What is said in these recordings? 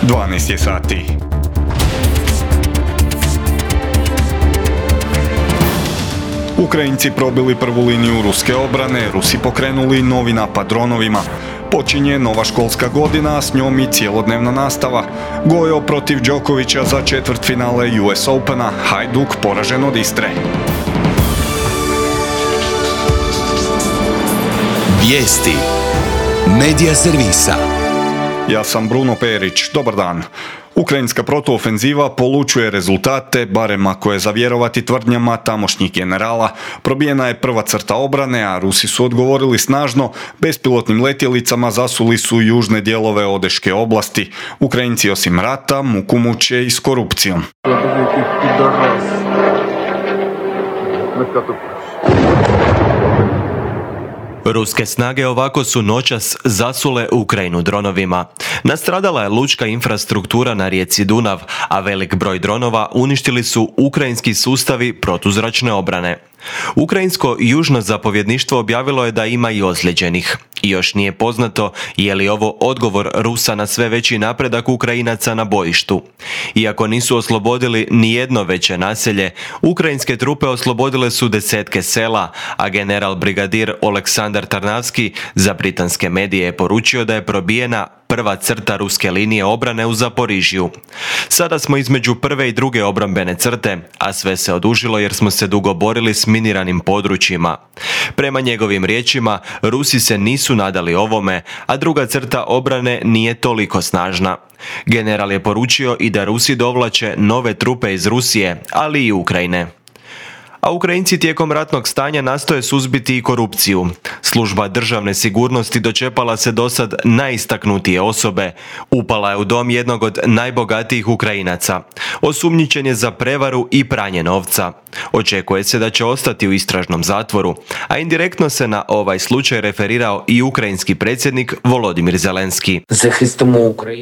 12 je sati. Ukrajinci probili prvu liniju ruske obrane, Rusi pokrenuli novi napad dronovima. Počinje nova školska godina, a s njom i cjelodnevna nastava. Gojo protiv Đokovića za četvrtfinale US Opena, Hajduk poražen od Istre. Vijesti Medija servisa. Ja sam Bruno Perić, dobar dan. Ukrajinska protuofenziva polučuje rezultate, barem ako je za vjerovati tvrdnjama tamošnjih generala. Probijena je prva crta obrane, a Rusi su odgovorili snažno, bespilotnim letjelicama zasuli su južne dijelove Odeške oblasti. Ukrajinci osim rata muku muče i s korupcijom. Ruske snage ovako su noćas zasule Ukrajinu dronovima. Nastradala je lučka infrastruktura na rijeci Dunav, a velik broj dronova uništili su ukrajinski sustavi protuzračne obrane. Ukrajinsko južno zapovjedništvo objavilo je da ima i ozlijeđenih. I još nije poznato je li ovo odgovor Rusa na sve veći napredak Ukrajinaca na bojištu. Iako nisu oslobodili ni jedno veće naselje, ukrajinske trupe oslobodile su desetke sela, a general brigadir Oleksandar Tarnavski za britanske medije je poručio da je probijena prva crta ruske linije obrane u Zaporižju. Sada smo između prve i druge obrambene crte, a sve se odužilo jer smo se dugo borili s miniranim područjima. Prema njegovim riječima, Rusi se nisu nadali ovome, a druga crta obrane nije toliko snažna. General je poručio i da Rusi dovlače nove trupe iz Rusije, ali i Ukrajine. A Ukrajinci tijekom ratnog stanja nastoje suzbiti i korupciju. Služba državne sigurnosti dočepala se dosad najistaknutije osobe. Upala je u dom jednog od najbogatijih Ukrajinaca. Osumnjičen je za prevaru i pranje novca. Očekuje se da će ostati u istražnom zatvoru, a indirektno se na ovaj slučaj referirao i ukrajinski predsjednik Volodimir Zelenski.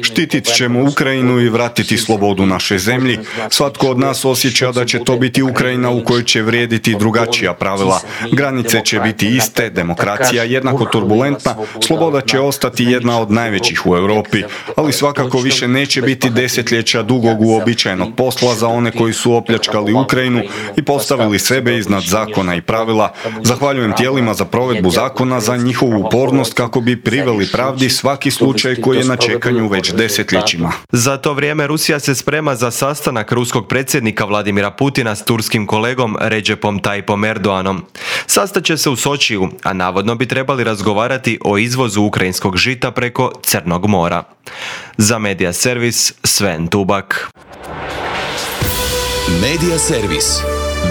Štitit ćemo Ukrajinu i vratiti slobodu našoj zemlji. Svatko od nas osjeća da će to biti Ukrajina u kojoj će vrijediti drugačija pravila. Granice će biti iste, demokracija jednako turbulentna, sloboda će ostati jedna od najvećih u Europi, ali svakako više neće biti desetljeća dugog uobičajenog posla za one koji su opljačkali Ukrajinu i postavili sebe iznad zakona i pravila. Zahvaljujem tijelima za provedbu zakona za njihovu upornost kako bi priveli pravdi svaki slučaj koji je na čekanju već desetljećima. Za to vrijeme Rusija se sprema za sastanak ruskog predsjednika Vladimira Putina s turskim kolegom Recepom Tayyipom Erdoganom. Sastaće se u Sočiju, a navodno bi trebali razgovarati o izvozu ukrajinskog žita preko Crnog mora. Za Medija servis Sven Tubak. Medija servis.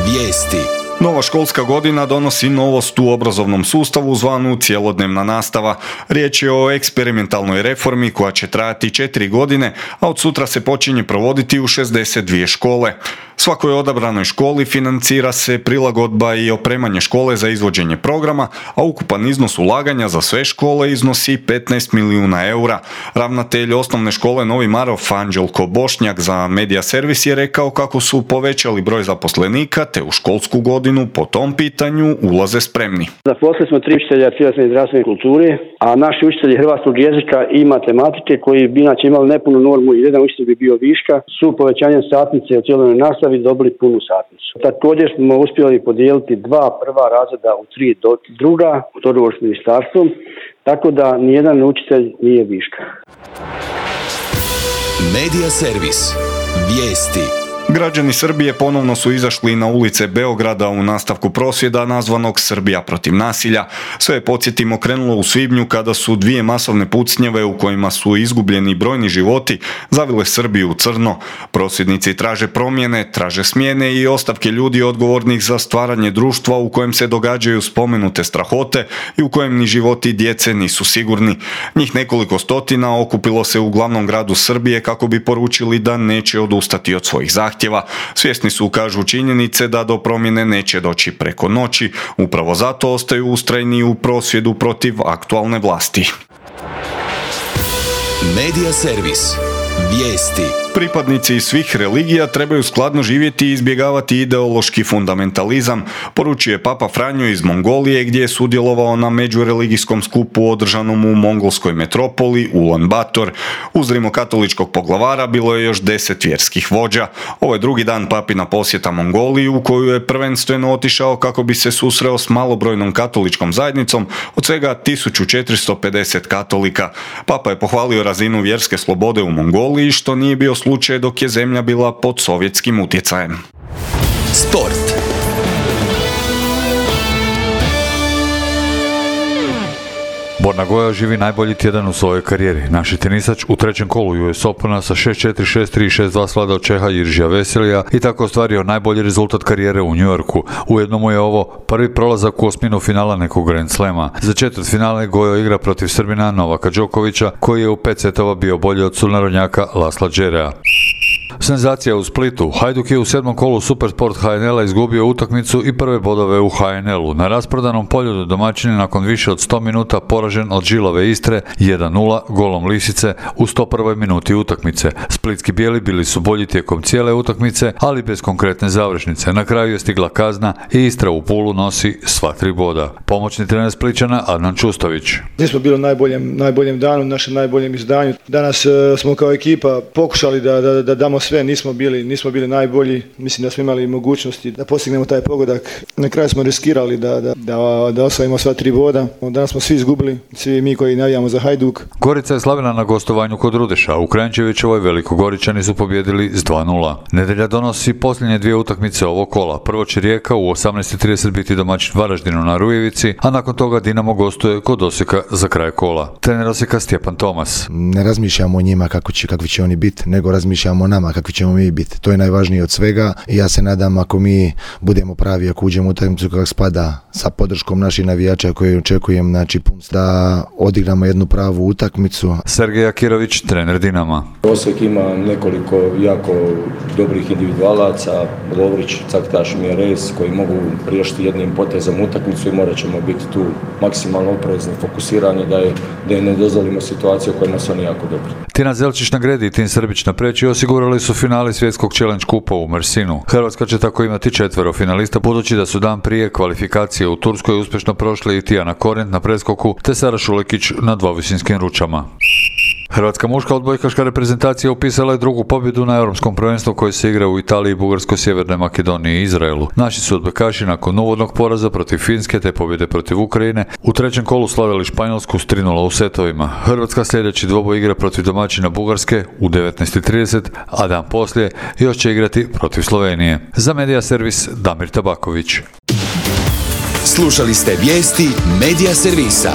Vijesti. Nova školska godina donosi novost u obrazovnom sustavu zvanu cjelodnevna nastava. Riječ je o eksperimentalnoj reformi koja će trajati 4 godine, a od sutra se počinje provoditi u 62 škole. Svakoj odabranoj školi financira se prilagodba i opremanje škole za izvođenje programa, a ukupan iznos ulaganja za sve škole iznosi 15 milijuna eura. Ravnatelj osnovne škole Novi Marof Anđelko Bošnjak za Medija servis je rekao kako su povećali broj zaposlenika te u školsku godinu po tom pitanju ulaze spremni. Zaposlili smo 3 učitelja tjelesne i zdravstvene kulture, a naši učitelji hrvatskog jezika i matematike koji bi inače imali nepunu normu i jedan učitelj bi bio viška, su povećanjem satnice u cjelodnevnoj nastavi dobili punu satnicu. Također smo uspjeli podijeliti 2 prva razreda u 3 druga, u dogovor s ministarstvom, tako da nijedan učitelj nije viška. Medija servis. Vijesti. Građani Srbije ponovno su izašli na ulice Beograda u nastavku prosvjeda nazvanog Srbija protiv nasilja. Sve je, podsjetimo, krenulo u svibnju kada su 2 masovne pucnjave u kojima su izgubljeni brojni životi zavile Srbiju u crno. Prosvjednici traže promjene, traže smjene i ostavke ljudi odgovornih za stvaranje društva u kojem se događaju spomenute strahote i u kojem ni životi djece nisu sigurni. Njih nekoliko stotina okupilo se u glavnom gradu Srbije kako bi poručili da neće odustati od svojih zahtjeva. Svjesni su, kažu, činjenice da do promjene neće doći preko noći. Upravo zato ostaju ustrajni u prosvjedu protiv aktualne vlasti. Medija servis. Vijesti. Pripadnici svih religija trebaju skladno živjeti i izbjegavati ideološki fundamentalizam, poručuje Papa Franjo iz Mongolije gdje je sudjelovao na međureligijskom skupu održanom u mongolskoj metropoli Ulan Bator. Uz rimokatoličkog poglavara bilo je još 10 vjerskih vođa. Ovo je drugi dan papina posjeta Mongoliji u koju je prvenstveno otišao kako bi se susreo s malobrojnom katoličkom zajednicom od svega 1450 katolika. Papa je pohvalio razinu vjerske slobode u Mongoliji, što nije bio slučaj dok je zemlja bila pod sovjetskim utjecajem. Sport. Borna Goja živi najbolji tjedan u svojoj karijeri. Naši tenisač u trećem kolu US Opena sa 6-4, 6-3 i 6-2 svladao Čeha Jiržija Veselija i tako ostvario najbolji rezultat karijere u New Yorku. Ujedno mu je ovo prvi prolazak u osminu finala nekog Grand Slema. Za četvrtfinale Gojo igra protiv Srbina Novaka Đokovića, koji je u 5 setova bio bolji od sunarodnjaka Lasla Džerea. Senzacija u Splitu. Hajduk je u 7. kolu Supersport HNL-a izgubio utakmicu i prve bodove u HNL-u. Na rasprodanom polju domaćin je nakon više od 100 minuta poražen od Žilave Istre 1-0 golom Lisice u 101. minuti utakmice. Splitski bijeli bili su bolji tijekom cijele utakmice, ali bez konkretne završnice. Na kraju je stigla kazna i Istra u Pulu nosi sva 3 boda. Pomoćni trener Splićana Adnan Čustović. Nismo bili u najboljem danu, našem najboljem izdanju. Danas smo kao ekipa pokušali da damo sve, nismo bili najbolji. Mislim da smo imali mogućnosti da postignemo taj pogodak. Na kraju smo riskirali da osvojimo sva 3 boda. Danas smo svi izgubili, svi mi koji navijamo za Hajduk. Gorica je slavila na gostovanju kod Rudeša. U Kranjčevićevoj Velikogoričani su pobjedili s 2-0. Nedjelja donosi posljednje 2 utakmice ovog kola. Prvo će Rijeka u 18:30 biti domaćin Varaždinu na Rujevici, a nakon toga Dinamo gostuje kod Osijeka za kraj kola. Trener Osijeka Stjepan Tomas. Ne razmišljamo o njima kakvi će oni biti, nego razmišljamo o nama kakvi ćemo mi biti. To je najvažnije od svega i ja se nadam ako mi budemo pravi, ako uđemo u utakmicu kako spada sa podrškom naših navijača koje očekujem, znači da odigramo jednu pravu utakmicu. Sergej Akirović, trener Dinama. Osijek ima nekoliko jako dobrih individualaca, Lovrić, Caktaš, Mjerez, koji mogu riješiti jednim potezom utakmicu i morat ćemo biti tu maksimalno oprezni, fokusirani da je ne dozvolimo situaciju u kojima su oni jako dobri. Tina Zelčić na gredi i Tin Srbić na preći osigurali su finali svjetskog challenge kupa u Mersinu. Hrvatska će tako imati 4 finalista, budući da su dan prije kvalifikacije u Turskoj uspješno prošli i Tijana Korent na preskoku te Sara Šulekić na dvovisinskim ručama. Hrvatska muška odbojkaška reprezentacija upisala je drugu pobjedu na europskom prvenstvu koje se igra u Italiji, Bugarskoj, Sjevernoj Makedoniji i Izraelu. Naši su odbojkaši nakon uvodnog poraza protiv Finske te pobjede protiv Ukrajine u trećem kolu slavili Španjolsku s 3-0 u setovima. Hrvatska sljedeći dvoboj igra protiv domaćina Bugarske u 19:30, a dan poslije još će igrati protiv Slovenije. Za Medija Servis Damir Tabaković. Slušali ste vijesti Medija Servisa.